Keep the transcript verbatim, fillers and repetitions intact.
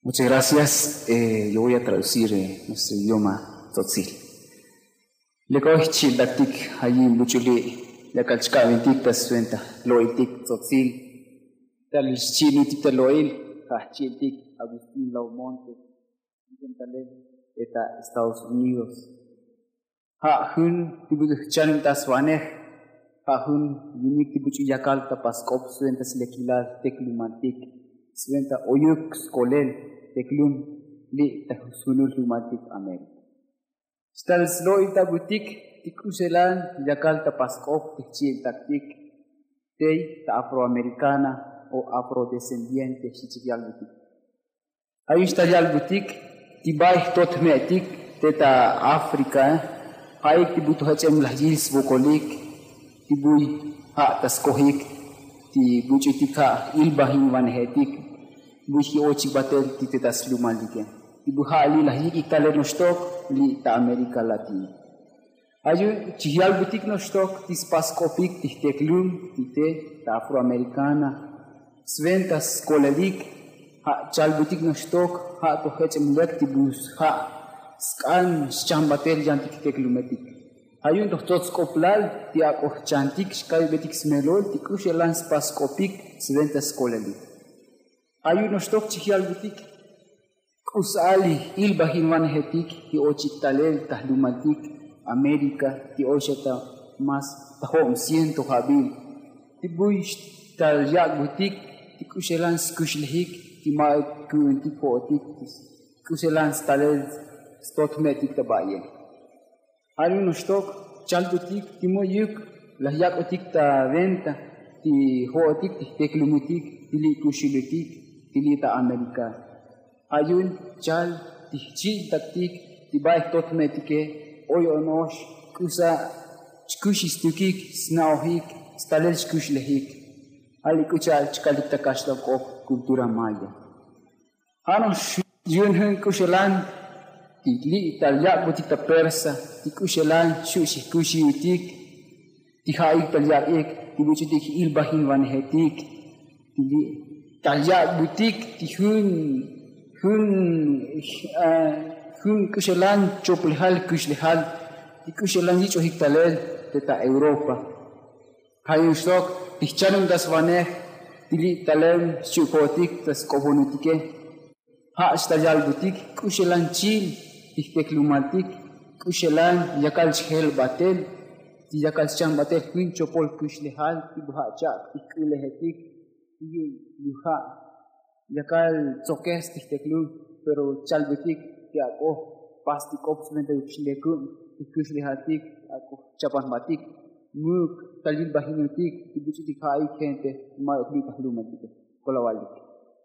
Muchas gracias. Yo voy a traducir nuestro idioma tzotzil. Lekoj chi'iltaktik ayin buch'uli' yakal chka'bintik ta swenta lo'iltik tzotzil. Tal xchi'iltik ta lo'il ja' jchi'iltik agustín laumonte, ta estados unidos. Ja' jun ti buch'u jchanubtas vanej. Ja' jun yunik ti buch'u yakal ta pask'op swenta slekilal teklumaltik, swenta oyuk skolel teklum li' ta sjunul jlumaltik américa. Xtal slo'iltabutik ti k'uxelan yakal ta pask'op ti jchi'iltaktik tey ta afroamericana o afrodescendiente xchichik yalbutik. Ayux ta yalbutik ti bay jtot jme'tik te ta africa. Ja'ik ti bu toj ech'em laj yil svokolik ti buy ja' ta skojik ti buch'utik ja' ilbajinvanejetik buy ji'ochik batel ti te ta slumaltike ti bu ja' li' laj yik'ik talel noxtok li' ta américa latina. Ayun chijyalbutik noxtok ti spas sk'opik ti jteklum ti te ta afroamericana, swenta skolelik ja' chalbutik noxtok ja' toj jech'em lek ti bu ja' sk'an xchambatel yantik jteklumetik. Ayun toj tsots sk'oplal ti ak'o jchantik xkaybetik smelol ti k'uxelan spas sk'opik swenta skolelik. Ayun noxtok chijyalbutik k'u sa'al ilbajinvanejetik ti ochik talel ta jlumaltik américa ti oy xa ta mas ta jo'on ciento jabil ti buy xtal yak'butik ti k'uxelan skuxlejik ti ma'uk ku'untik jo'otik ti k'uxelan stalel stot jme'tik ta ba'ye. Ja'nuk noxtok chalbutik ti mu'yuk laj yak'utik ta venta ti jo'otik ti jteklumutik ti li' kuxulutik ti li' ta américa. Ja'yun chal ti jchi'iltaktik ti bay jtot jme'tike oy ono'ox k'usa chkuxistukik sna'ojik stalel chkuxlejik. Ja' li' k'u cha'al chkalik ta kaxlal k'op kultura maya. Ja'no'ox yu'un jun k'uxelan ti li' tal yak'butik ta persa ti k'uxelan xu' xijkuxiutik ti ja'ik tal yak'ik ti buch'utik ilbajinvanejetik ti li' tal yak'butik ti jun jun jun k'uxelan choplejal kuxlejal ti k'uxelan yich'ojik talel te ta europa. Ja'yun xtok ti jchanuntasvanej ti li' talel xchi'ukotik ta sk'oponutike. Ja' xtal yalbutik k'uxelan chil ti jteklumaltik k'uxelan yakal chjel batel ti yakal xchan batel jun chopol kuxlejal ti bu ja' chak' ti jk'ulejetik ti yu'un lu ja' yakal tzokes ti jteklum. Pero chalbutik ti ak'o pas ti k'op swenta yuk xlekub ti jkuxlejaltik ak'o chapan jbatik muk tal yilbajinutik ti buch'utik ja'ik gente ma'uk li' ta jlumaltike. Kolavalik.